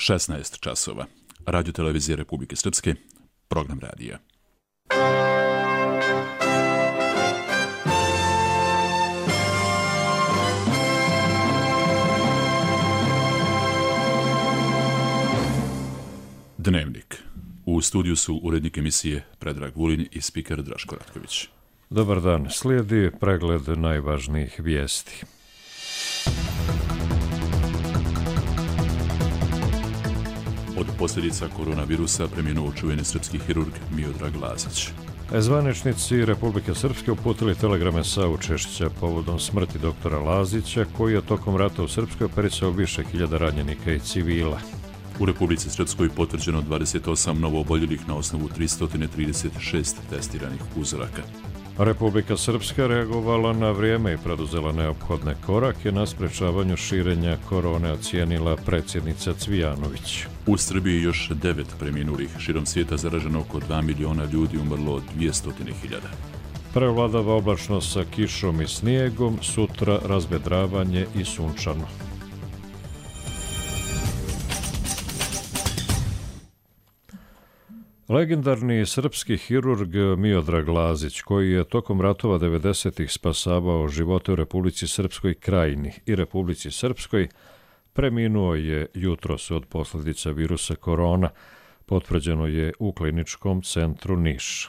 16 časova. Radio televizije Republike Srpske, program radija. Dnevnik. U studiju su urednik emisije Predrag Vulin i spiker Draško Ratković. Dobar dan. Slijedi pregled najvažnijih vijesti. Od posljedica koronavirusa preminuo čuveni srpski hirurg Miodrag Lazić. Zvaničnici Republike Srpske uputili telegrame saučešća povodom smrti doktora Lazića, koji je tokom rata u Srpskoj operisao više hiljada ranjenika i civila. U Republici Srpskoj potvrđeno 28 novooboljelih na osnovu 336 testiranih uzoraka. Republika Srpska reagovala na vrijeme i preduzela neophodne korake na sprečavanju širenja korone, ocijenila predsjednica Cvijanović. U Srbiji još 9 preminulih, širom svijeta zaraženo oko 2 miliona ljudi, umrlo 200.000. Prevladava oblačnost sa kišom i snijegom, sutra razvedravanje i sunčano. Legendarni srpski hirurg Miodrag Lazić, koji je tokom ratova 90-ih spasavao živote u Republici Srpskoj Krajini i Republici Srpskoj, preminuo je jutros od posljedica virusa korona, potvrđeno je u kliničkom centru Niš.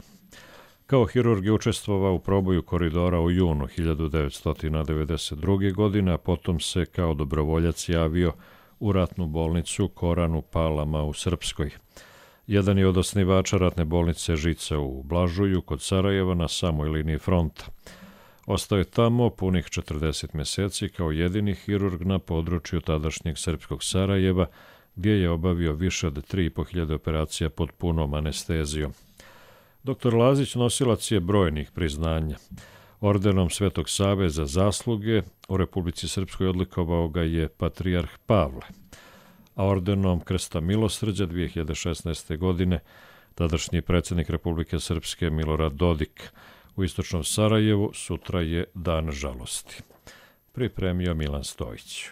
Kao hirurg je učestvovao u proboju koridora u junu 1992. godine, a potom se kao dobrovoljac javio u ratnu bolnicu Koran u Palama u Srpskoj. Jedan je od osnivača ratne bolnice Žica u Blažuju kod Sarajeva na samoj liniji fronta. Ostao je tamo punih 40 mjeseci kao jedini hirurg na području tadašnjeg srpskog Sarajeva, gdje je obavio više od 3.500 operacija pod punom anestezijom. Dr. Lazić nosilac je brojnih priznanja. Ordenom Svetog Save za zasluge u Republici Srpskoj odlikovao ga je patrijarh Pavle, a ordenom Krsta milosrđa 2016. godine tadašnji predsjednik Republike Srpske Milorad Dodik. U istočnom Sarajevu sutra je dan žalosti. Pripremio Milan Stojić.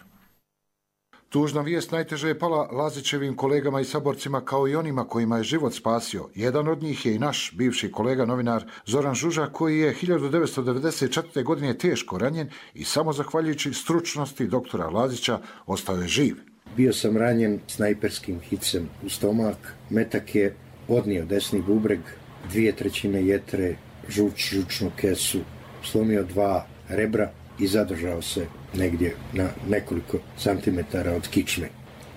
Tužna vijest najteže je pala Lazićevim kolegama i saborcima kao i onima kojima je život spasio. Jedan od njih je i naš bivši kolega novinar Zoran Žuža, koji je 1994. godine teško ranjen i samo zahvaljujući stručnosti doktora Lazića ostao je živ. Bio sam ranjen snajperskim hicem u stomak, metak je odnio desni bubreg, 2/3 jetre, žučnu kesu, slomio 2 rebra i zadržao se negdje na nekoliko santimetara od kičme.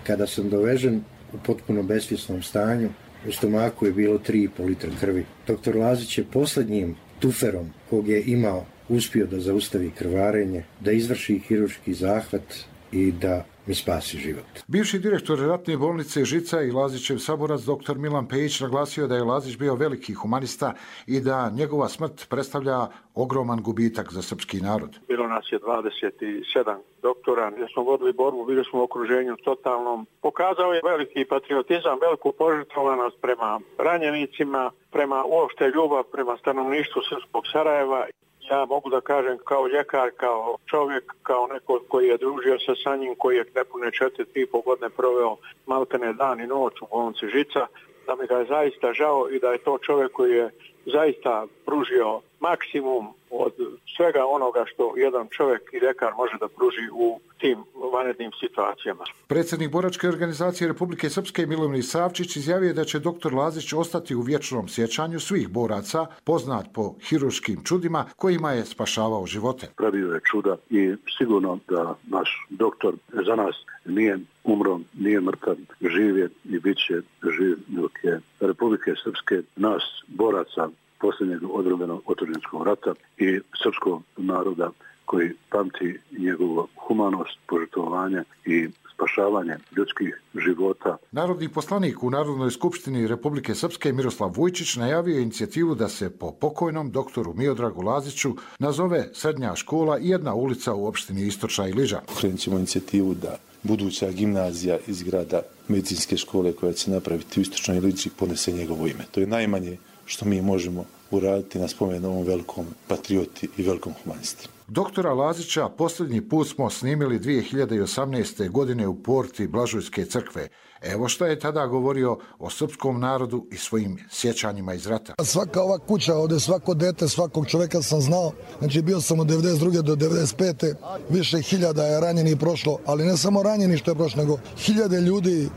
Kada sam dovežen u potpuno besvjesnom stanju, u stomaku je bilo 3,5 litra krvi. Doktor Lazić je posljednjim tuferom kog je imao uspio da zaustavi krvarenje, da izvrši hirurški zahvat i da mi spasi život. Bivši direktor ratne bolnice Žica i Lazićev saborac dr. Milan Pejić naglasio da je Lazić bio veliki humanista i da njegova smrt predstavlja ogroman gubitak za srpski narod. Bilo nas je 27 doktora, gdje smo vodili borbu, bili smo u okruženju totalnom. Pokazao je veliki patriotizam, veliku požrtvovanost prema ranjenicima, prema uopšte ljubav prema stanovništvu srpskog Sarajeva. Ja mogu da kažem kao ljekar, kao čovjek, kao neko koji je družio se sa njim, koji je nepune 4,5 godine proveo maltene dan i noć u bolnici Žica, da mi ga je zaista žao i da je to čovjek koji je zaista pružio maksimum od svega onoga što jedan čovjek i ljekar može da pruži u tim vanrednim situacijama. Predsjednik boračke organizacije Republike Srpske Milomir Savčić izjavio da će dr. Lazić ostati u vječnom sjećanju svih boraca, poznat po hirurškim čudima kojima je spašavao živote. Pravio je čuda i sigurno da naš doktor za nas nije umro, nije mrtav, živ je i bit će živ dok je Republike Srpske, nas boraca posljednjeg odrobenog otadžbinskog rata i srpskog naroda koji pamti njegovu humanost, požrtvovanje i spašavanje ljudskih života. Narodni poslanik u Narodnoj skupštini Republike Srpske Miroslav Vujčić najavio inicijativu da se po pokojnom doktoru Miodragu Laziću nazove srednja škola i jedna ulica u opštini Istočna Iliža. Krenut ćemo inicijativu da buduća gimnazija iz grada medicinske škole koja će napraviti u Istočnoj Iliži ponese njegovo ime. To je najmanje što mi možemo uraditi na spomen ovom velikom patrioti i velikom humanisti. Doktora Lazića posljednji put smo snimili 2018. godine u porti Blažujske crkve. Evo šta je tada govorio o srpskom narodu i svojim sjećanjima iz rata. Svaka ova kuća, ovdje svako dete, svakog čovjeka sam znao. Znači bio sam od 92. do 95. Više hiljada je ranjeni prošlo, ali ne samo ranjeni što je prošlo, nego hiljade ljudi,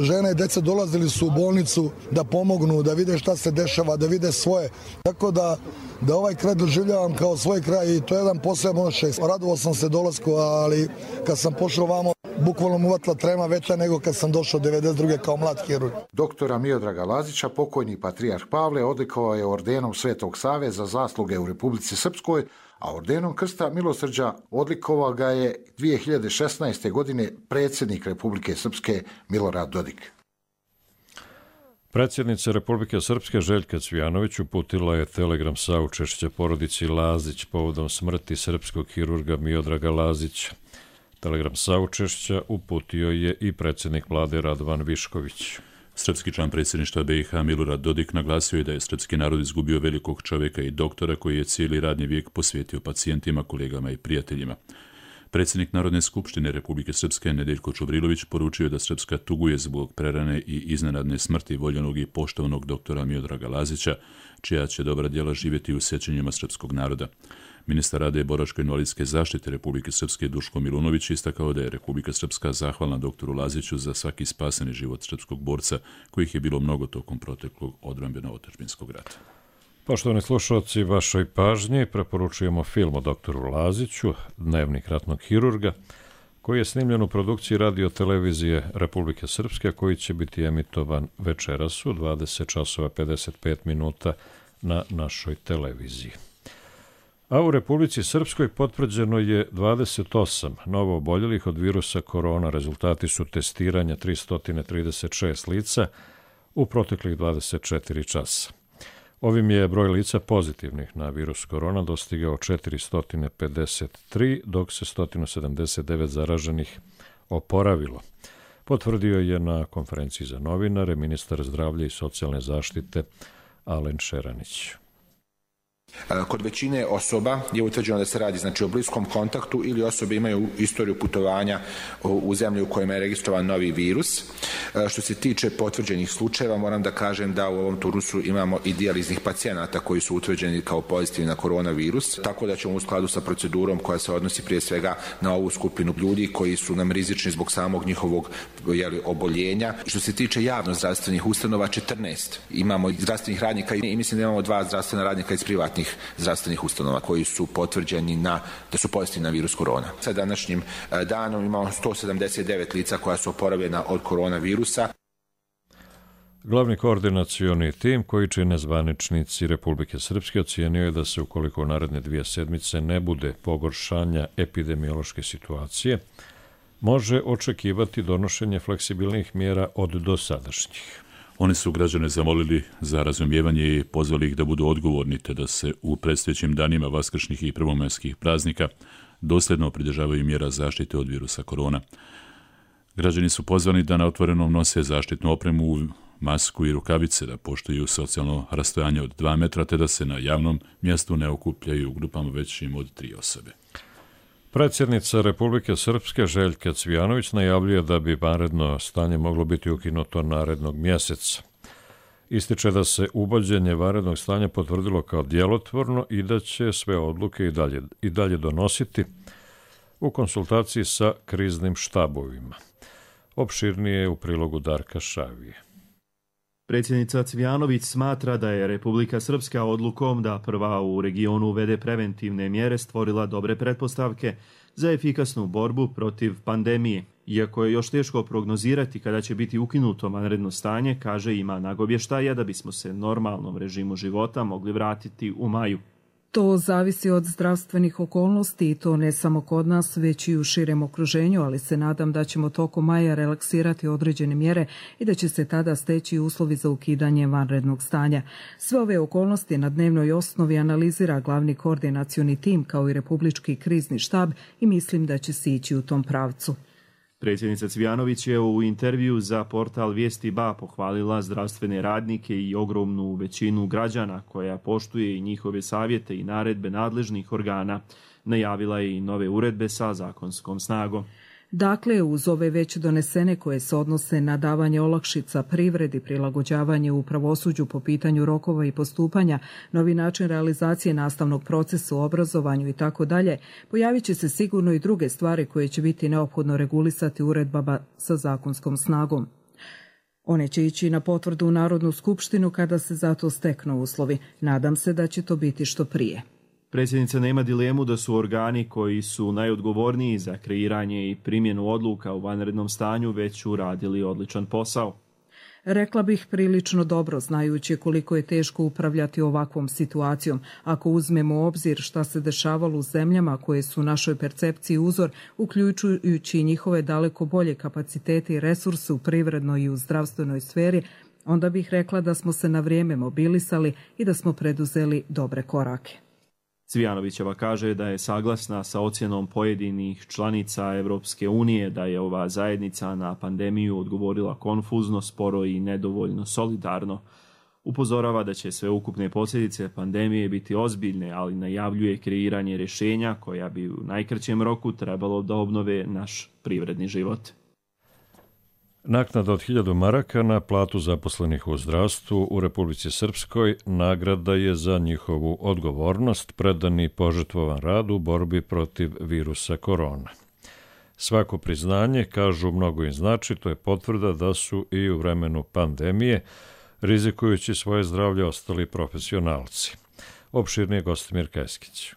žene i djeca dolazili su u bolnicu da pomognu, da vide šta se dešava, da vide svoje. Tako da ovaj kraj doživljavam kao svoj kraj i to je jedan poseban osjećaj. Radovao sam se dolasku, ali kad sam pošao vamo, bukvalno mu uvatila trema veća nego kad sam došao 92. kao mlad hirurg. Doktora Miodraga Lazića, pokojni patrijarh Pavle, odlikovao je ordenom Svetog Save za zasluge u Republici Srpskoj, a ordenom Krsta milosrđa odlikovao ga je 2016. godine predsjednik Republike Srpske Milorad Dodik. Predsjednica Republike Srpske Željka Cvijanović uputila je telegram saučešća porodici Lazić povodom smrti srpskog hirurga Miodraga Lazića. Telegram saučešća uputio je i predsjednik vlade Radovan Višković. Srpski član predsjedništva BiH Milorad Dodik naglasio je da je srpski narod izgubio velikog čovjeka i doktora koji je cijeli radni vijek posvetio pacijentima, kolegama i prijateljima. Predsjednik Narodne skupštine Republike Srpske Nedeljko Čuvrilović poručio je da Srpska tuguje zbog prerane i iznenadne smrti voljenog i poštovanog doktora Miodraga Lazića, čija će dobra djela živjeti u sjećanjima srpskog naroda. Ministar rada i boračko-invalidske zaštite Republike Srpske Duško Milunović istakao da je Republika Srpska zahvalna doktoru Laziću za svaki spaseni život srpskog borca, kojih je bilo mnogo tokom proteklog odbrambeno-otadžbinskog rata. Poštovani slušalci, vašoj pažnji preporučujemo film o doktoru Laziću, Dnevnik ratnog hirurga, koji je snimljen u produkciji radio-televizije Republike Srpske, koji će biti emitovan večeras u 20:55 na našoj televiziji. A u Republici Srpskoj potvrđeno je 28 novo oboljelih od virusa korona. Rezultati su testiranja 336 lica u proteklih 24 časa. Ovim je broj lica pozitivnih na virus korona dostigao 453, dok se 179 zaraženih oporavilo. Potvrdio je na konferenciji za novinare ministar zdravlja i socijalne zaštite Alen Šeranić. Kod većine osoba je utvrđeno da se radi o bliskom kontaktu ili osobe imaju istoriju putovanja u zemlji u kojima je registrovan novi virus. Što se tiče potvrđenih slučajeva, moram da kažem da u ovom turnusu imamo i dijaliznih pacijenata koji su utvrđeni kao pozitivni na koronavirus, tako da ćemo u skladu sa procedurom koja se odnosi prije svega na ovu skupinu ljudi koji su nam rizični zbog samog njihovog oboljenja. Što se tiče javno zdravstvenih ustanova, 14 imamo zdravstvenih radnika i mislim da imamo 2 zdravstvena radnika iz privatnih zdravstvenih ustanova koji su potvrđeni da su pozitivni na virus korona. Sa današnjim danom imamo 179 lica koja su oporavljena od koronavirusa. Glavni koordinacioni tim koji čine zvaničnici Republike Srpske ocijenio je da se ukoliko u naredne 2 sedmice ne bude pogoršanja epidemiološke situacije, može očekivati donošenje fleksibilnih mjera od dosadašnjih. Oni su građane zamolili za razumijevanje i pozvali ih da budu odgovorni te da se u predstojećim danima vaskršnjih i prvomajskih praznika dosljedno pridržavaju mjera zaštite od virusa korona. Građani su pozvani da na otvorenom nose zaštitnu opremu, masku i rukavice, da poštuju socijalno rastojanje od 2 metra te da se na javnom mjestu ne okupljaju u grupama većim od 3 osobe. Predsjednica Republike Srpske Željka Cvijanović najavljuje da bi vanredno stanje moglo biti ukinuto narednog mjeseca. Ističe da se uvođenje vanrednog stanja potvrdilo kao djelotvorno i da će sve odluke i dalje donositi u konsultaciji sa kriznim štabovima. Opširnije u prilogu Darka Šavije. Predsjednica Cvijanović smatra da je Republika Srpska odlukom da prva u regionu uvede preventivne mjere stvorila dobre pretpostavke za efikasnu borbu protiv pandemije. Iako je još teško prognozirati kada će biti ukinuto vanredno stanje, kaže ima nagovještaja da bismo se normalnom režimu života mogli vratiti u maju. To zavisi od zdravstvenih okolnosti i to ne samo kod nas, već i u širem okruženju, ali se nadam da ćemo tokom maja relaksirati određene mjere i da će se tada steći uslovi za ukidanje vanrednog stanja. Sve ove okolnosti na dnevnoj osnovi analizira glavni koordinacioni tim kao i Republički krizni štab i mislim da će se ići u tom pravcu. Predsjednica Cvijanović je u intervju za portal Vijesti BA pohvalila zdravstvene radnike i ogromnu većinu građana koja poštuje i njihove savjete i naredbe nadležnih organa. Najavila je i nove uredbe sa zakonskom snagom. Dakle, uz ove već donesene koje se odnose na davanje olakšica privredi, prilagođavanje u pravosuđu po pitanju rokova i postupanja, novi način realizacije nastavnog procesa u obrazovanju i tako dalje, pojavit će se sigurno i druge stvari koje će biti neophodno regulisati uredbama sa zakonskom snagom. One će ići na potvrdu u Narodnu skupštinu kada se za to steknu uslovi. Nadam se da će to biti što prije. Predsjednica nema dilemu da su organi koji su najodgovorniji za kreiranje i primjenu odluka u vanrednom stanju već uradili odličan posao. Rekla bih prilično dobro, znajući koliko je teško upravljati ovakvom situacijom. Ako uzmemo u obzir šta se dešavalo u zemljama koje su našoj percepciji uzor, uključujući njihove daleko bolje kapacitete i resurse u privrednoj i u zdravstvenoj sferi, onda bih rekla da smo se na vrijeme mobilisali i da smo preduzeli dobre korake. Cvijanovićeva kaže da je saglasna sa ocjenom pojedinih članica Evropske unije da je ova zajednica na pandemiju odgovorila konfuzno, sporo i nedovoljno solidarno. Upozorava da će sveukupne posljedice pandemije biti ozbiljne, ali najavljuje kreiranje rješenja koja bi u najkraćem roku trebalo da obnove naš privredni život. Naknada od 1000 maraka na platu zaposlenih u zdravstvu u Republici Srpskoj nagrada je za njihovu odgovornost, predan i požrtvovan rad u borbi protiv virusa korona. Svako priznanje, kažu, mnogo im znači, to je potvrda da su i u vremenu pandemije, rizikujući svoje zdravlje, ostali profesionalci. Opširnije Gostimir Keskić.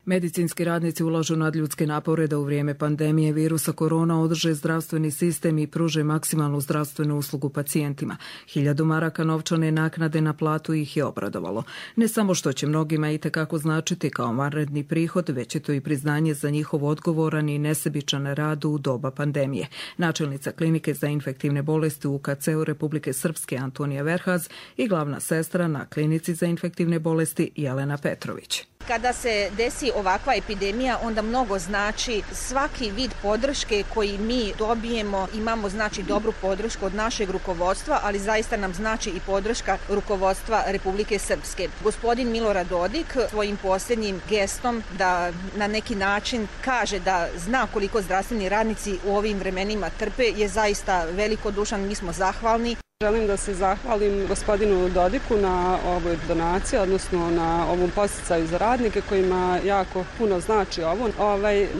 Medicinski radnici ulažu nadljudske napore da u vrijeme pandemije virusa korona održe zdravstveni sistem i pruže maksimalnu zdravstvenu uslugu pacijentima. 1000 maraka novčane naknade na platu ih je obradovalo. Ne samo što će mnogima itekako značiti kao vanredni prihod, već je to i priznanje za njihov odgovoran i nesebičan rad u doba pandemije. Načelnica klinike za infektivne bolesti u UKC-u Republike Srpske Antonija Verhaz i glavna sestra na klinici za infektivne bolesti Jelena Petrović. Kada se desi ovakva epidemija, onda mnogo znači svaki vid podrške koji mi dobijemo. Imamo znači dobru podršku od našeg rukovodstva, ali zaista nam znači i podrška rukovodstva Republike Srpske. Gospodin Milorad Dodik svojim posljednjim gestom da na neki način kaže da zna koliko zdravstveni radnici u ovim vremenima trpe je zaista velikodušan, mi smo zahvalni. Želim da se zahvalim gospodinu Dodiku na ovoj donaciji, odnosno na ovom podsticaju za radnike kojima jako puno znači ovo.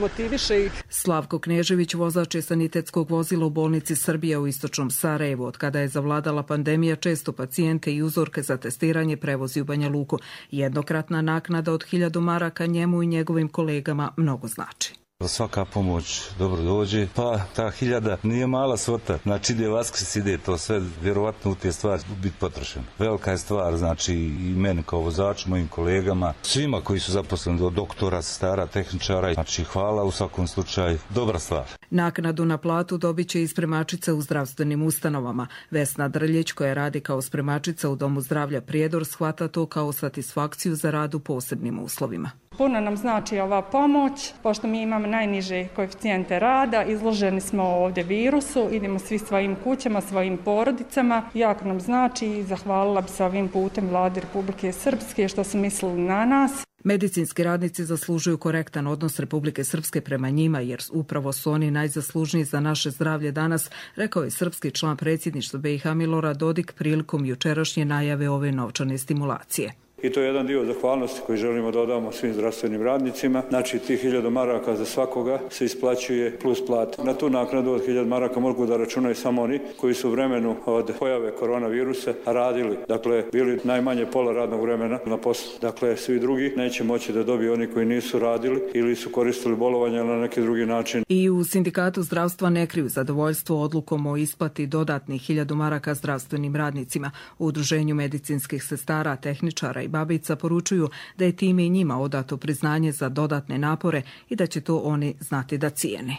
Motiviše ih. Slavko Knežević, vozač je sanitetskog vozila u bolnici Srbija u istočnom Sarajevu. Od kada je zavladala pandemija, često pacijente i uzorke za testiranje prevozi u Banja Luku. Jednokratna naknada od 1000 maraka njemu i njegovim kolegama mnogo znači. Svaka pomoć dobro dođe, pa ta 1000 nije mala svota, znači ide Vaskrs, ide to sve, vjerovatno u te stvari biti potrošeno. Velika je stvar, znači i meni kao vozaču, mojim kolegama, svima koji su zaposleni, od doktora, sestara, tehničara, znači hvala u svakom slučaju, dobra stvar. Naknadu na platu dobit će i spremačica u zdravstvenim ustanovama. Vesna Drljić, koja radi kao spremačica u Domu zdravlja Prijedor, shvata to kao satisfakciju za rad u posebnim uslovima. Puno nam znači ova pomoć, pošto mi imamo najniže koeficijente rada, izloženi smo ovdje virusu, idemo svi svojim kućama, svojim porodicama. Jako nam znači i zahvalila bi se ovim putem Vladi Republike Srpske što su mislili na nas. Medicinski radnici zaslužuju korektan odnos Republike Srpske prema njima, jer upravo su oni najzaslužniji za naše zdravlje danas, rekao je srpski član predsjedništva BiH Milorad Dodik prilikom jučerašnje najave ove novčane stimulacije. I to je jedan dio zahvalnosti koji želimo da odamo svim zdravstvenim radnicima. Znači, tih 1000 maraka za svakoga se isplaćuje plus plata. Na tu naknadu od 1000 maraka mogu da računaju samo oni koji su u vremenu od pojave koronavirusa radili. Dakle, bili najmanje pola radnog vremena na poslu. Dakle, svi drugi neće moći da dobiju oni koji nisu radili ili su koristili bolovanje na neki drugi način. I u Sindikatu zdravstva ne kriju zadovoljstvo odlukom o isplati dodatnih 1000 maraka zdravstvenim radnicima. U Udruženju medicinskih sestara, tehničara i babica poručuju da je time i njima odato priznanje za dodatne napore i da će to oni znati da cijene.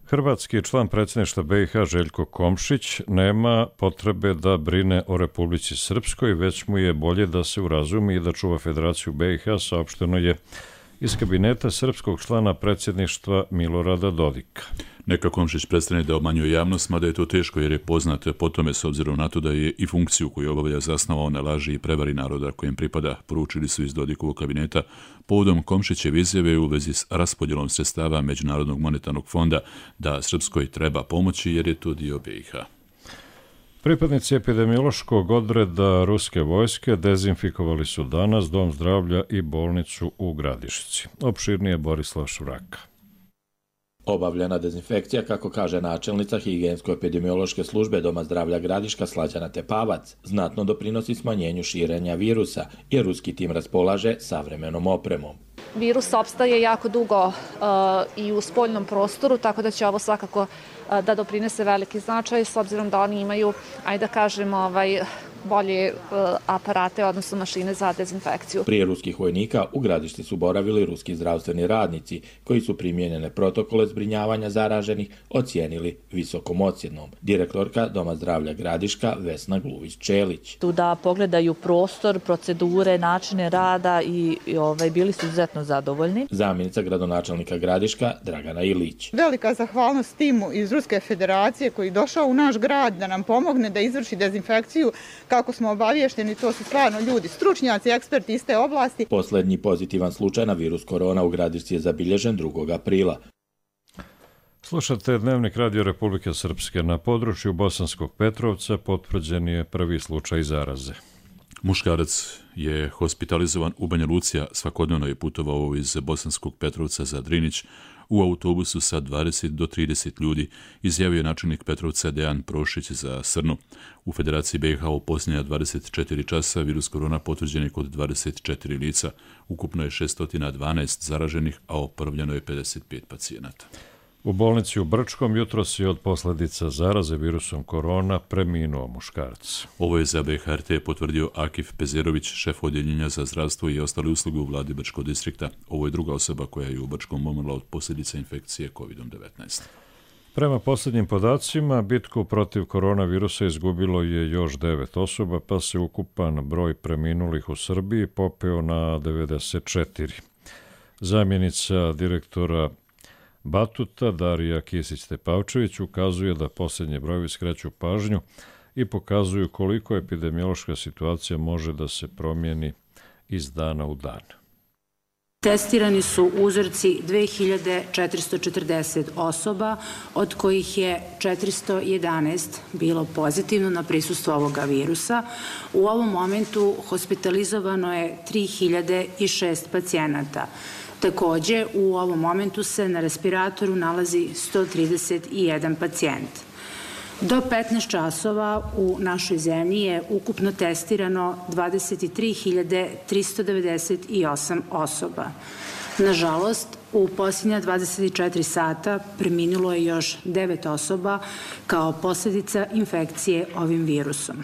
Hrvatski član predsjedništva BiH Željko Komšić nema potrebe da brine o Republici Srpskoj, već mu je bolje da se urazumi i da čuva Federaciju BiH, saopšteno je iz kabineta srpskog člana predsjedništva Milorada Dodika. Neka Komšić prestane da obmanjuje javnost, mada je to teško jer je poznat po tome s obzirom na to da je i funkciju koju obavlja zasnovao na laži i prevari naroda kojem pripada, poručili su iz Dodikovog kabineta povodom Komšićeve izjave u vezi s raspodjelom sredstava Međunarodnog monetarnog fonda da Srpskoj treba pomoći jer je to dio BiH. Pripadnici epidemiološkog odreda ruske vojske dezinfikovali su danas Dom zdravlja i bolnicu u Gradišci. Opširnije Borislav Švraka. Obavljena dezinfekcija, kako kaže načelnica higijensko-epidemiološke službe Doma zdravlja Gradiška Slađana Tepavac, znatno doprinosi smanjenju širenja virusa jer ruski tim raspolaže savremenom opremom. Virus opstaje jako dugo i u spoljnom prostoru, tako da će ovo svakako da doprinese veliki značaj s obzirom da oni imaju, ajde da kažemo, bolje aparate, odnosno mašine za dezinfekciju. Prije ruskih vojnika u Gradišci su boravili ruski zdravstveni radnici koji su primijenjene protokole zbrinjavanja zaraženih ocijenili visokom ocjenom. Direktorka Doma zdravlja Gradiška Vesna Gluvić-Čelić. Tu da pogledaju prostor, procedure, načine rada i bili su izuzetno zadovoljni. Zamjenica gradonačelnika Gradiška Dragana Ilić. Velika zahvalnost timu iz Ruske federacije koji je došao u naš grad da nam pomogne da izvrši dezinfekciju. Kako smo obavješteni, to su stvarno ljudi, stručnjaci, eksperti iz te oblasti. Posljednji pozitivan slučaj na virus korona u Gradišci je zabilježen 2. aprila. Slušate Dnevnik Radio Republike Srpske. Na području Bosanskog Petrovca potvrđen je prvi slučaj zaraze. Muškarac je hospitalizovan u Banja Luci, svakodnevno je putovao iz Bosanskog Petrovca za Drinić u autobusu sa 20 do 30 ljudi, izjavio je načelnik Petrovca Dejan Prošić za Srnu. U Federaciji BiH u posljednja 24 časa virus korona potvrđen je kod 24 lica. Ukupno je 612 zaraženih, a oporavljeno je 55 pacijenata. U bolnici u Brčkom jutros je od posljedica zaraze virusom korona preminuo muškarac. Ovo je za BHRT potvrdio Akif Pezerović, šef odjeljenja za zdravstvo i ostale usluge u vladi Brčkog distrikta. Ovo je druga osoba koja je u Brčkom umrla od posljedica infekcije COVID-19. Prema posljednjim podacima, bitku protiv koronavirusa izgubilo je još 9 osoba, pa se ukupan broj preminulih u Srbiji popeo na 94. Zamjenica direktora Batuta Darija Kisić-Tepavčević ukazuje da posljednje brojevi skreću pažnju i pokazuju koliko epidemiološka situacija može da se promijeni iz dana u dan. Testirani su uzorci 2440 osoba, od kojih je 411 bilo pozitivno na prisustvo ovoga virusa. U ovom momentu hospitalizovano je 3006 pacijenata. Također, u ovom momentu se na respiratoru nalazi 131 pacijent. Do 15 časova u našoj zemlji je ukupno testirano 23.398 osoba. Nažalost, u posljednja 24 sata preminulo je još 9 osoba kao posljedica infekcije ovim virusom.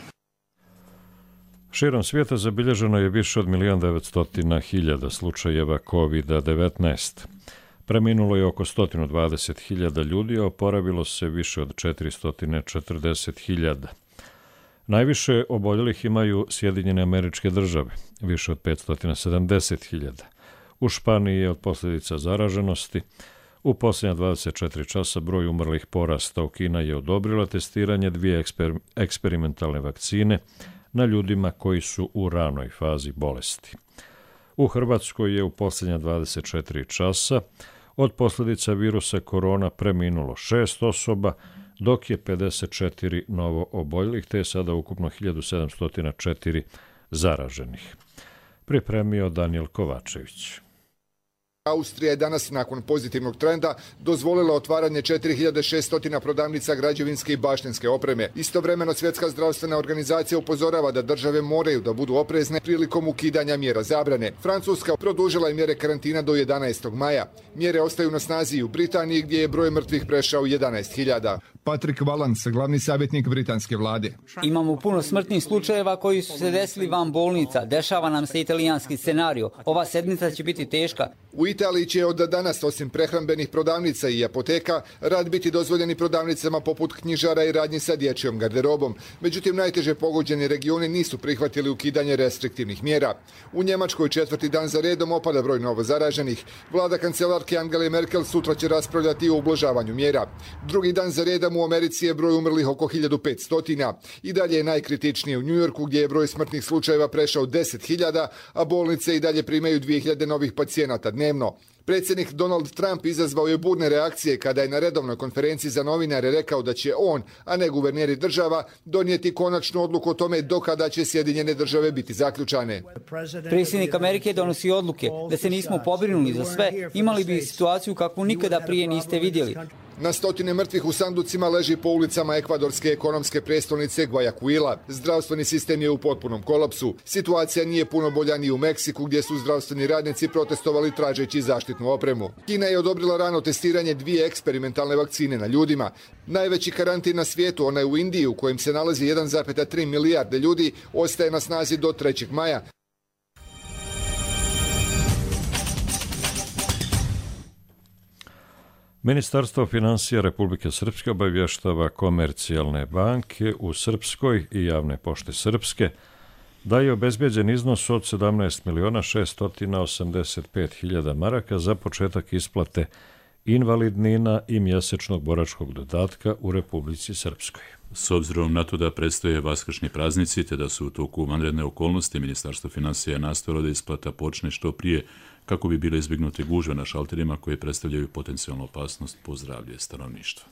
Širom svijeta zabilježeno je više od 1.900.000 slučajeva COVID-19. Preminulo je oko 120.000 ljudi, a oporavilo se više od 440.000. Najviše oboljelih imaju Sjedinjene Američke Države, više od 570.000. U Španiji je od posljedica zaraženosti u posljednja 24 časa broj umrlih porastao. Kina je odobrila testiranje 2 eksperimentalne vakcine na ljudima koji su u ranoj fazi bolesti. U Hrvatskoj je u posljednja 24 časa od posljedica virusa korona preminulo 6 osoba, dok je 54 novo oboljelih, te je sada ukupno 1704 zaraženih. Pripremio Daniel Kovačević. Austrija je danas, nakon pozitivnog trenda, dozvolila otvaranje 4600 prodavnica građevinske i baštinske opreme. Istovremeno, Svjetska zdravstvena organizacija upozorava da države moraju da budu oprezne prilikom ukidanja mjera zabrane. Francuska produžila je mjere karantina do 11. maja. Mjere ostaju na snazi u Britaniji, gdje je broj mrtvih prešao 11.000. Patrick Vallance, glavni savjetnik britanske vlade. Imamo puno smrtnih slučajeva koji su se desili van bolnica. Dešava nam se italijanski scenario. Ova sedmica će biti teška. U Italiji će od danas, osim prehrambenih prodavnica i apoteka, rad biti dozvoljeni prodavnicama poput knjižara i radnji sa dječjom garderobom. Međutim, najteže pogođeni regioni nisu prihvatili ukidanje restriktivnih mjera. U Njemačkoj 4. dan za redom opada broj novo zaraženih. Vlada kancelarke Angele Merkel sutra će raspravljati o ublažavanju mjera. Drugi dan za redom u Americi je broj umrlih oko 1500. I dalje je najkritičnije u Njujorku gdje je broj smrtnih slučajeva prešao 10.000, a bolnice i dalje primaju 2.000 novih pacijenata dnevno. Predsjednik Donald Trump izazvao je burne reakcije kada je na redovnoj konferenciji za novinare rekao da će on, a ne guverneri država, donijeti konačnu odluku o tome do kada će Sjedinjene države biti zaključane. Predsjednik Amerike donosi odluke. Da se nismo pobrinuli za sve, imali bi situaciju kakvu nikada prije niste vidjeli. Na stotine mrtvih u sanducima leži po ulicama ekvadorske ekonomske prestolnice Guayaquila. Zdravstveni sistem je u potpunom kolapsu. Situacija nije puno bolja ni u Meksiku gdje su zdravstveni radnici protestovali tražeći zaštitnu opremu. Kina je odobrila rano testiranje 2 eksperimentalne vakcine na ljudima. Najveći karantin na svijetu, onaj u Indiji u kojem se nalazi 1,3 milijarde ljudi, ostaje na snazi do 3. maja. Ministarstvo financija Republike Srpske obavještava komercijalne banke u Srpskoj i javne pošte Srpske da je obezbeđen iznos od 17.685.000 maraka za početak isplate invalidnina i mjesečnog boračkog dodatka u Republici Srpskoj. S obzirom na to da predstoje vaskršnji praznici te da su u toku vanredne okolnosti, Ministarstvo financija nastojalo da isplata počne što prije kako bi bile izbjegnute gužve na šalterima koje predstavljaju potencijalnu opasnost po zdravlje stanovništva.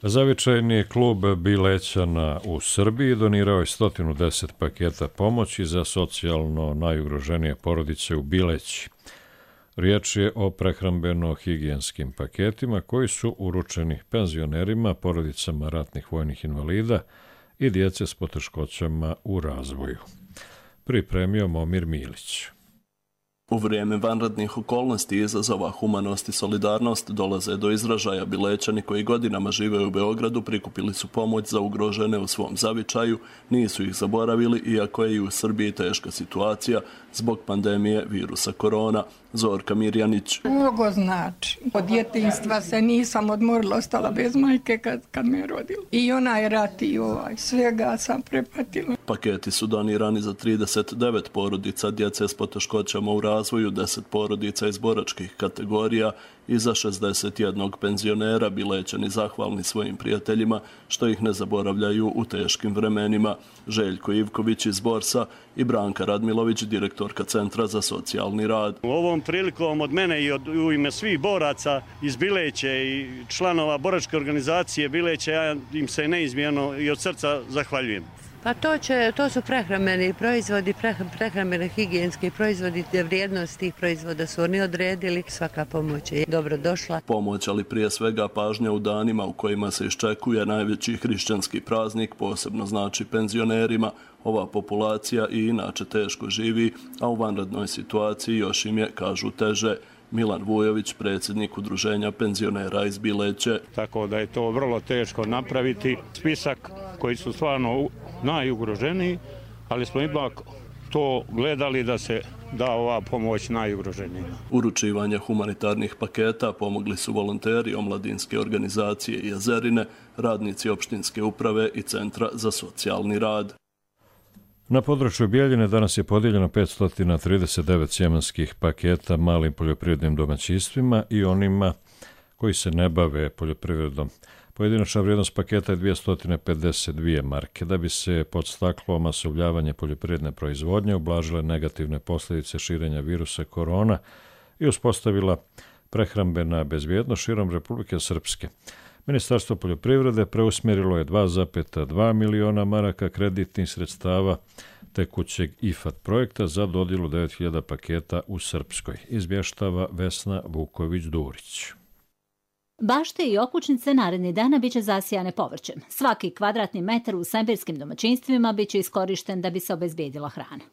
Zavičajni klub Bilećana u Srbiji donirao je 110 paketa pomoći za socijalno najugroženije porodice u Bileći. Riječ je o prehrambeno-higijenskim paketima koji su uručeni penzionerima, porodicama ratnih vojnih invalida i djece s poteškoćama u razvoju. Pripremio Momir Milić. U vrijeme vanrednih okolnosti i izazova humanost i solidarnost dolaze do izražaja. Bilećani koji godinama žive u Beogradu prikupili su pomoć za ugrožene u svom zavičaju, nisu ih zaboravili iako je i u Srbiji teška situacija zbog pandemije virusa korona. Zorka Mirjanić. Mnogo znači. Od djetinjstva se nisam odmorila, ostala bez majke kad me rodila. I onaj rat i svega sam prepatila. Paketi su donirani za 39 porodica djece s poteškoćama u razvoju, 10 porodica iz boračkih kategorija i za 61 penzionera. Bilećani zahvalni svojim prijateljima što ih ne zaboravljaju u teškim vremenima. Željko Ivković iz Borsa i Branka Radmilović, direktorka Centra za socijalni rad. Ovom prilikom od mene i u ime svih boraca iz Bileće i članova boračke organizacije Bileće, ja im se neizmjerno i od srca zahvaljujem. Pa to su prehrambeni proizvodi, prehrambene higijenski proizvodi, vrijednost tih proizvoda su oni odredili. Svaka pomoć je dobro došla. Pomoć, ali prije svega pažnja u danima u kojima se iščekuje najveći hrišćanski praznik, posebno znači penzionerima. Ova populacija i inače teško živi, a u vanrednoj situaciji još im je, kažu, teže. Milan Vujović, predsjednik Udruženja penzionera iz Bileće. Tako da je to vrlo teško napraviti. Spisak koji su stvarno najugroženiji, ali smo ipak to gledali da se da ova pomoć najugroženijima. Uručivanje humanitarnih paketa pomogli su volonteri omladinske organizacije Jezerine, radnici opštinske uprave i Centra za socijalni rad. Na području Bijeljine danas je podijeljeno 539 sjemenskih paketa malim poljoprivrednim domaćinstvima i onima koji se ne bave poljoprivredom. Pojedinačna vrijednost paketa je 252 marke. Da bi se podstaklo masovljavanje poljoprivredne proizvodnje, ublažile negativne posljedice širenja virusa korona i uspostavila prehrambena bezbjednost širom Republike Srpske. Ministarstvo poljoprivrede preusmjerilo je 2,2 miliona maraka kreditnih sredstava tekućeg IFAD projekta za dodjelu 9.000 paketa u Srpskoj, izvještava Vesna Vuković-Durić. Bašte i okućnice narednih dana biće zasijane povrćem. Svaki kvadratni metar u sajberskim domaćinstvima biće iskorišten da bi se obezbijedila hrana.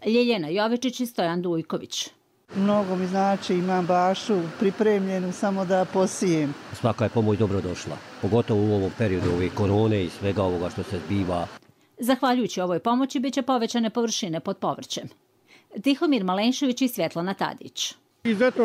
Ljeljena Jovičić i Stojan Dujković. Mnogo mi znači, imam bašu pripremljenu samo da posijem. Svaka je pomoć dobro došla, pogotovo u ovom periodu ove korone i svega ovoga što se zbiva. Zahvaljujući ovoj pomoći biće povećane površine pod povrćem. Tihomir Malenšević i Svjetlana Tadić. Izuzetno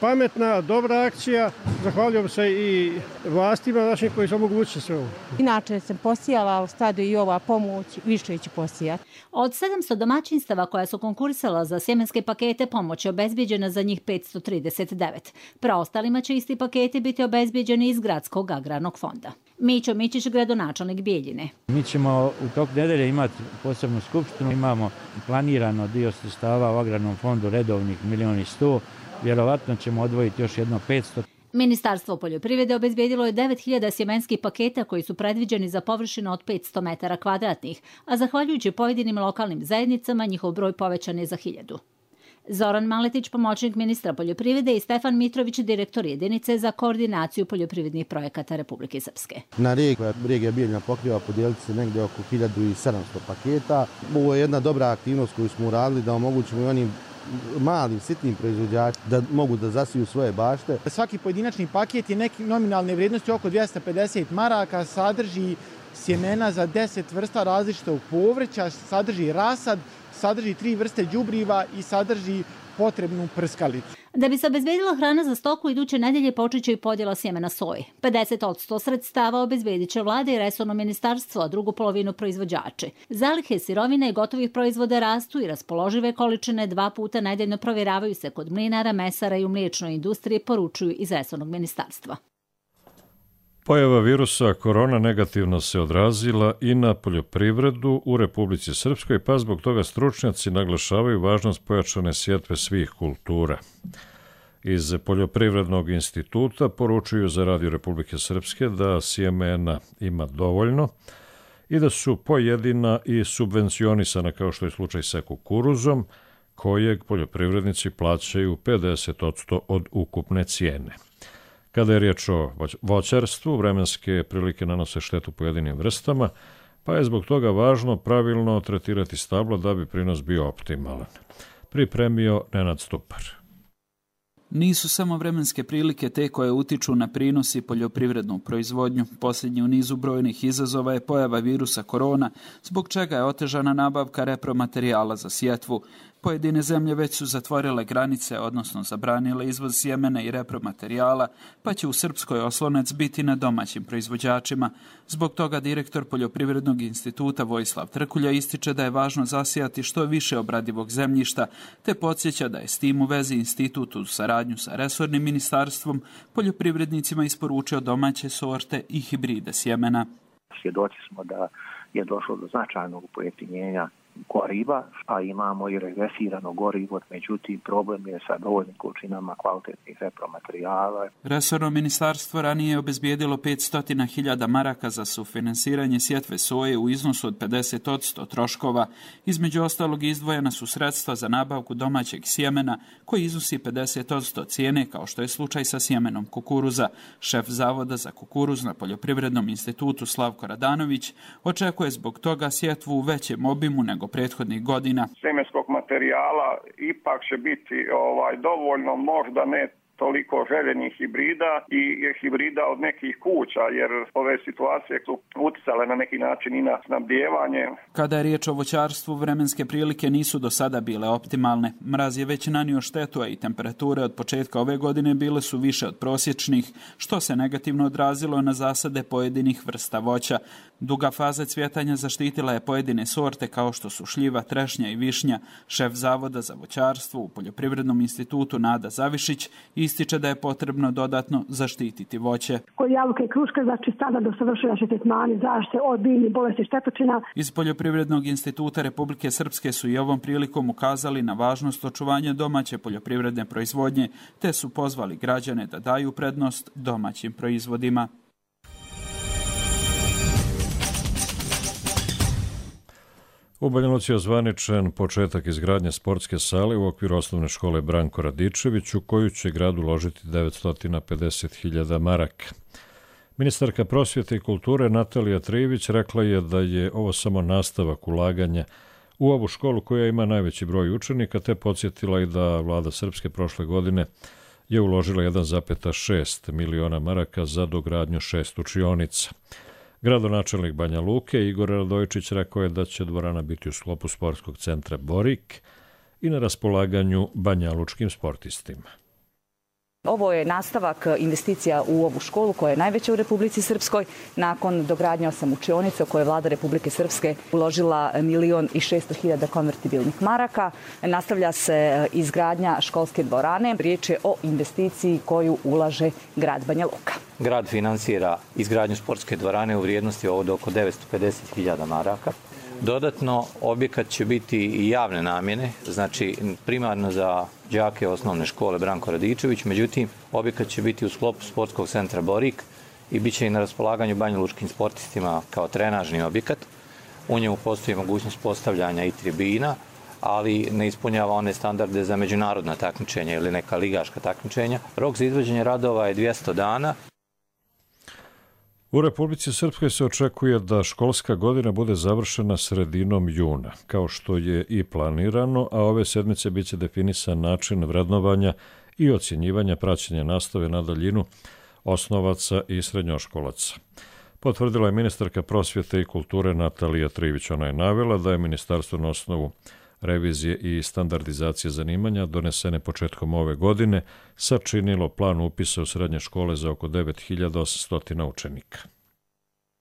pametna, dobra akcija. Zahvaljujem se i vlastima našim koji su omogućili sve ovo. Inače sam posijala, sada i ova pomoć, više ću posijati. Od 700 domaćinstava koja su konkurisala za sjemenske pakete, pomoć je obezbijeđena za njih 539. Preostalima će isti paketi biti obezbijeđeni iz Gradskog agrarnog fonda. Mićo Mićić, gradonačelnik Bijeljine. Mi ćemo u toku nedelje imati posebnu skupštinu. Imamo planirano dio sredstava u agrarnom fondu redovnih 1.100.000. Vjerovatno ćemo odvojiti još jedno 500. Ministarstvo poljoprivrede obezbijedilo je 9.000 sjemenskih paketa koji su predviđeni za površinu od 500 metara kvadratnih, a zahvaljujući pojedinim lokalnim zajednicama njihov broj povećan je za 1.000. Zoran Maletić, pomoćnik ministra poljoprivrede, i Stefan Mitrović, direktor jedinice za koordinaciju poljoprivrednih projekata Republike Srpske. Na regija Bijeljina pokriva podijeliti se negdje oko 1.700 paketa. Ovo je jedna dobra aktivnost koju smo uradili da omogućimo i onim malim, sitnim proizvođačima da mogu da zasiju svoje bašte. Svaki pojedinačni paket je neki nominalne vrijednosti oko 250 maraka, sadrži sjemena za 10 vrsta različitog povrća, sadrži rasad, sadrži 3 vrste đubriva i sadrži potrebnu prskalicu. Da bi se obezbedila hrana za stoku, iduće nedelje počet će i podjela sjemena soje. 50% sredstava obezbedit će vlada i resorno ministarstvo, a drugu polovinu proizvođači. Zalihe sirovine i gotovih proizvoda rastu i raspoložive količine 2 puta nedeljno provjeravaju se kod mlinara, mesara i u mliječnoj industriji, poručuju iz resornog ministarstva. Pojava virusa korona negativno se odrazila i na poljoprivredu u Republici Srpskoj, pa zbog toga stručnjaci naglašavaju važnost pojačane sjetve svih kultura. Iz Poljoprivrednog instituta poručuju za Radio Republike Srpske da sjemena ima dovoljno i da su pojedina i subvencionisana, kao što je slučaj sa kukuruzom, kojeg poljoprivrednici plaćaju 50% od ukupne cijene. Kada je riječ o voćarstvu, vremenske prilike nanose štetu pojedinim vrstama, pa je zbog toga važno pravilno tretirati stablo da bi prinos bio optimalan. Pripremio Nenad Stupar. Nisu samo vremenske prilike te koje utiču na prinos i poljoprivrednu proizvodnju. Posljednji u nizu brojnih izazova je pojava virusa korona, zbog čega je otežana nabavka repromaterijala za sjetvu. Pojedine zemlje već su zatvorile granice, odnosno zabranile izvoz sjemena i repromaterijala, pa će u Srpskoj oslonac biti na domaćim proizvođačima. Zbog toga direktor Poljoprivrednog instituta Vojislav Trkulja ističe da je važno zasijati što više obradivog zemljišta, te podsjeća da je s tim u vezi institut u saradnju sa resornim ministarstvom poljoprivrednicima isporučio domaće sorte i hibride sjemena. Svjedoci smo da je došlo do značajnog pojeftinjenja goriva, a imamo i regresirano gorivo, međutim problem je sa dovoljnim količinama kvalitetnih repromaterijala. Resorno ministarstvo ranije je obezbijedilo 500.000 maraka za sufinansiranje sjetve soje u iznosu od 50% troškova. Između ostalog izdvojena su sredstva za nabavku domaćeg sjemena koji iznosi 50% cijene, kao što je slučaj sa sjemenom kukuruza. Šef Zavoda za kukuruz na Poljoprivrednom institutu Slavko Radanović očekuje zbog toga sjetvu u većem obimu nego prethodnih godina. Sjemenskog materijala ipak će biti dovoljno, možda ne toliko željenih hibrida i hibrida od nekih kuća, jer ove situacije su utjecale na neki način i na snabdijevanje. Kada je riječ o voćarstvu, vremenske prilike nisu do sada bile optimalne. Mraz je već nanio štetu, a i temperature od početka ove godine bile su više od prosječnih, što se negativno odrazilo na zasade pojedinih vrsta voća. Duga faza cvjetanja zaštitila je pojedine sorte kao što su šljiva, trešnja i višnja. Šef Zavoda za voćarstvo u Poljoprivrednom institutu Nada Zavišić ističe da je potrebno dodatno zaštititi voće. Kod jabuke i kruške, znači sada do savršenja tretmani zaštite od biljnih bolesti štetočina. Iz Poljoprivrednog instituta Republike Srpske su i ovom prilikom ukazali na važnost očuvanja domaće poljoprivredne proizvodnje, te su pozvali građane da daju prednost domaćim proizvodima. U Banja Luci je ozvaničen početak izgradnje sportske sale u okviru osnovne škole Branko Radičević, u koju će grad uložiti 950.000 maraka. Ministarka prosvjete i kulture Natalija Trijević rekla je da je ovo samo nastavak ulaganja u ovu školu koja ima najveći broj učenika, te podsjetila i da vlada Srpske prošle godine je uložila 1,6 miliona maraka za dogradnju 6 učionica. Gradonačelnik Banja Luke Igor Radojičić rekao je da će dvorana biti u sklopu sportskog centra Borik i na raspolaganju banjalučkim sportistima. Ovo je nastavak investicija u ovu školu koja je najveća u Republici Srpskoj. Nakon dogradnje 8 učionica u koje je vlada Republike Srpske uložila 1.600.000 konvertibilnih maraka. Nastavlja se izgradnja školske dvorane. Riječ je o investiciji koju ulaže grad Banja Luka. Grad finansira izgradnju sportske dvorane u vrijednosti od oko 950.000 maraka. Dodatno, objekat će biti i javne namjene, znači primarno za đake osnovne škole Branko Radičević, međutim, objekat će biti u sklopu sportskog centra Borik i bit će i na raspolaganju banjalučkim sportistima kao trenažni objekat. U njemu postoji mogućnost postavljanja i tribina, ali ne ispunjava one standarde za međunarodna takmičenja ili neka ligaška takmičenja. Rok za izvođenje radova je 200 dana. U Republici Srpskoj se očekuje da školska godina bude završena sredinom juna, kao što je i planirano, a ove sedmice biće definisan način vrednovanja i ocjenjivanja praćenja nastave na daljinu osnovaca i srednjoškolaca. Potvrdila je ministarka prosvjete i kulture Natalija Trivić. Ona je navela da je ministarstvo na osnovu revizije i standardizacije zanimanja donesene početkom ove godine sačinilo plan upisa u srednje škole za oko 9.800 učenika.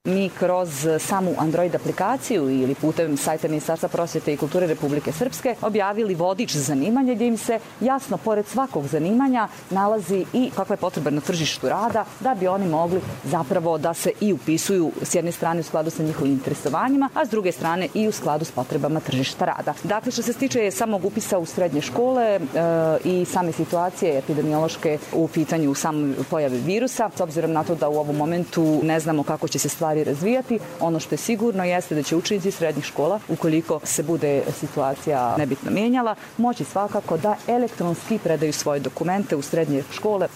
Mi kroz samu Android aplikaciju ili putem sajta Ministarstva prosvjete i kulture Republike Srpske objavili vodič zanimanja gdje im se jasno pored svakog zanimanja nalazi i kakva je potreba na tržištu rada da bi oni mogli zapravo da se i upisuju s jedne strane u skladu sa njihovim interesovanjima, a s druge strane i u skladu s potrebama tržišta rada. Dakle, što se tiče samog upisa u srednje škole i same situacije epidemiološke u pitanju samoj pojave virusa, s obzirom na to da u ovom momentu ne znamo kako će se stvari razvijati, ono što je sigurno jeste da će učenici srednjih škola, ukoliko se bude situacija nebitno mijenjala, moći svakako da elektronski predaju svoje dokumente u srednje škole.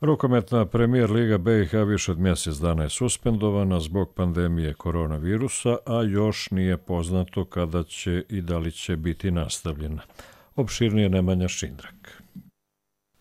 Rukometna Premijer Liga BiH više od mjesec dana je suspendovana zbog pandemije koronavirusa, a još nije poznato kada će i da li će biti nastavljena. Opširnije Nemanja Šindrak.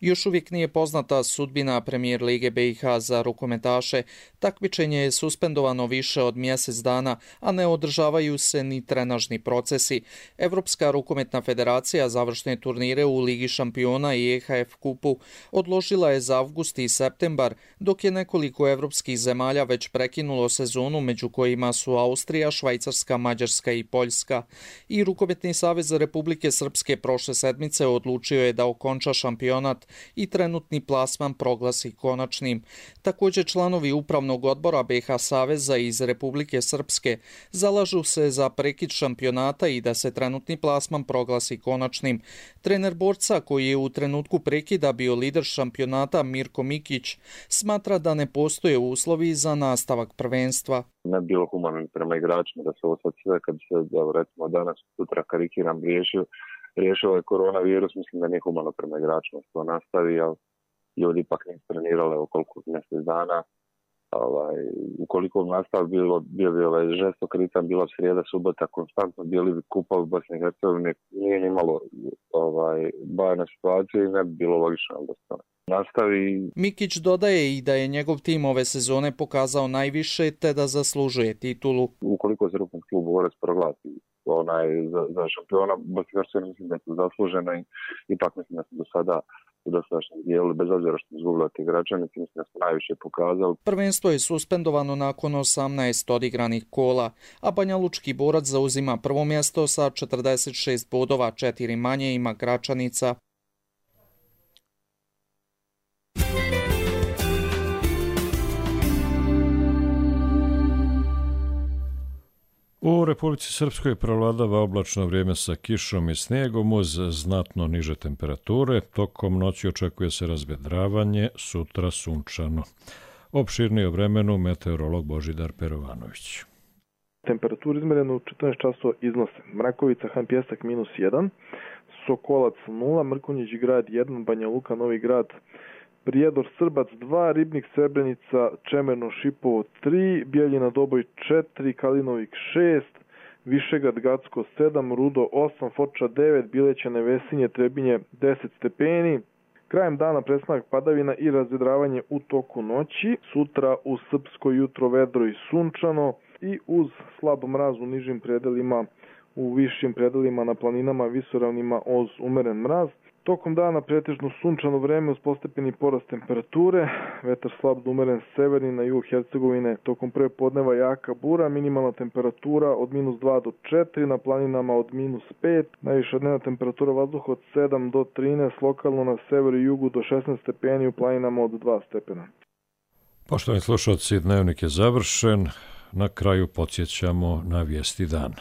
Još uvijek nije poznata sudbina Premijer Lige BiH za rukometaše. Takmičenje je suspendovano više od mjesec dana, a ne održavaju se ni trenažni procesi. Evropska rukometna federacija završne turnire u Ligi šampiona i EHF kupu odložila je za avgust i septembar, dok je nekoliko evropskih zemalja već prekinulo sezonu, među kojima su Austrija, Švajcarska, Mađarska i Poljska. I Rukometni savez Republike Srpske prošle sedmice odlučio je da okonča šampionat i trenutni plasman proglasi konačnim. Također članovi upravnog odbora BiH Saveza iz Republike Srpske zalažu se za prekid šampionata i da se trenutni plasman proglasi konačnim. Trener borca koji je u trenutku prekida bio lider šampionata Mirko Mikić smatra da ne postoje uslovi za nastavak prvenstva. Ne bi bilo humano prema igračima da se ovo sad sve kad se recimo danas sutra karikiram riješio ovaj koronavirus, mislim da nije humano prema igračima što nastavi, ali ljudi ipak nisu trenirali okoliko mjesec dana. Ukoliko nastav bio žestok ritam, bila srijeda, subota, konstantno bili kupa u Bosni i Hercegovini, nije imalo bajne situacije i ne bi bilo logično da se nastavi. Mikić dodaje i da je njegov tim ove sezone pokazao najviše te da zaslužuje titulu. Ukoliko se rukom klub Borac proglasi za šampiona, Bosni i Hercegovini mislim da su zaslužena i ipak mislim da su do sada u dosadašnjem dijelu, bez obzira što izgubila te igrače, mislim da smo najviše pokazali. Prvenstvo je suspendovano nakon 18 odigranih kola, a Banjalučki Borac zauzima prvo mjesto sa 46 bodova, 4 manje ima Gračanica. U Republici Srpskoj prevladava oblačno vrijeme sa kišom i snijegom uz znatno niže temperature. Tokom noći očekuje se razvedravanje, sutra sunčano. Opširnije o vremenu meteorolog Božidar Perovanović. Temperaturu izmjerenu u 14 časova iznose Mrakovica, Han Pjesak -1, Sokolac 0, Mrkonjić Grad 1, Banja Luka Novi Grad Prijedor Srbac 2, Ribnik Srebrenica, Čemerno Šipovo 3, Bijeljina Doboj 4, Kalinovik 6, Višegrad Gacko 7, Rudo 8, Foča 9, Bilećane Vesinje, Trebinje 10 stepeni. Krajem dana prestanak padavina i razvedravanje u toku noći. Sutra u Srpsko jutro vedro i sunčano i uz slab mraz u nižim predelima, u višim predelima na planinama, visoravnima uz umeren mraz. Tokom dana pretežno sunčano vreme uz postepeni porast temperature, vetar slab do umeren severni na jugu Hercegovine, tokom prve podneva jaka bura, minimalna temperatura od -2 do 4, na planinama od -5, najviša dnevna temperatura vazduha od 7 do 13, lokalno na severu i jugu do 16 stepeni, u planinama od 2 stepena. Poštovani slušalci, dnevnik je završen. Na kraju podsjećamo na vijesti dana.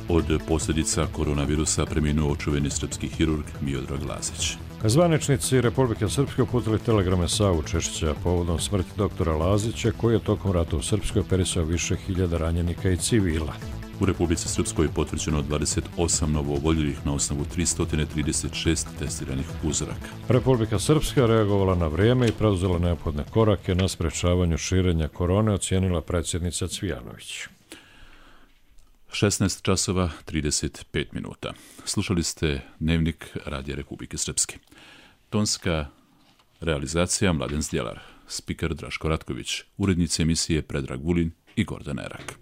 Od posljedica koronavirusa preminuo čuveni srpski hirurg Miodrag Lazić. Zvaničnici Republike Srpske uputili telegrame Savu Češića povodom smrti doktora Lazića, koji je tokom rata u Srpskoj operisao više hiljada ranjenika i civila. U Republici Srpskoj je potvrđeno 28 novooboljelih na osnovu 336 testiranih uzoraka. Republika Srpska reagovala na vrijeme i preuzela neophodne korake na sprečavanju širenja korone, ocijenila predsjednica Cvijanović. 16 časova 35 minuta. Slušali ste Dnevnik Radija Republike Srpske. Tonska realizacija Mladen Zdjelar, spiker Draško Ratković, urednici emisije Predrag Vulin i Gordan Erak.